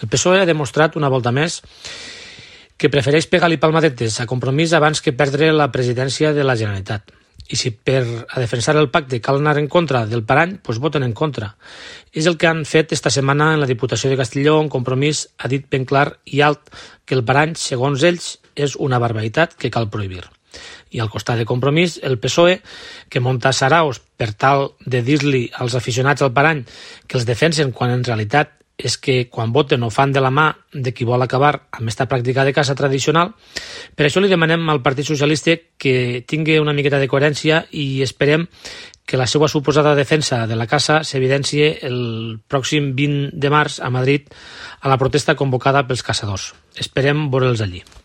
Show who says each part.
Speaker 1: El PSOE ha demostrat una volta més que prefereix pegar-li palmadetes a Compromís abans que perdre la presidència de la Generalitat. I si a defensar el pacte cal anar en contra del parany, doncs voten en contra. És el que han fet esta setmana en la Diputació de Castelló, on Compromís ha dit ben clar i alt que el parany, segons ells, és una barbaritat que cal prohibir. I al costat de Compromís, el PSOE, que munta saraos per tal de dir-li als aficionats al parany que els defensen quan en realitat és que quan voten ho fan de la mà de qui vol acabar amb esta pràctica de caça tradicional. Per això li demanem al Partit Socialista que tingui una miqueta de coherència i esperem que la seva suposada defensa de la caça s'evidencie el pròxim 20 de març a Madrid a la protesta convocada pels caçadors. Esperem veure'ls allí.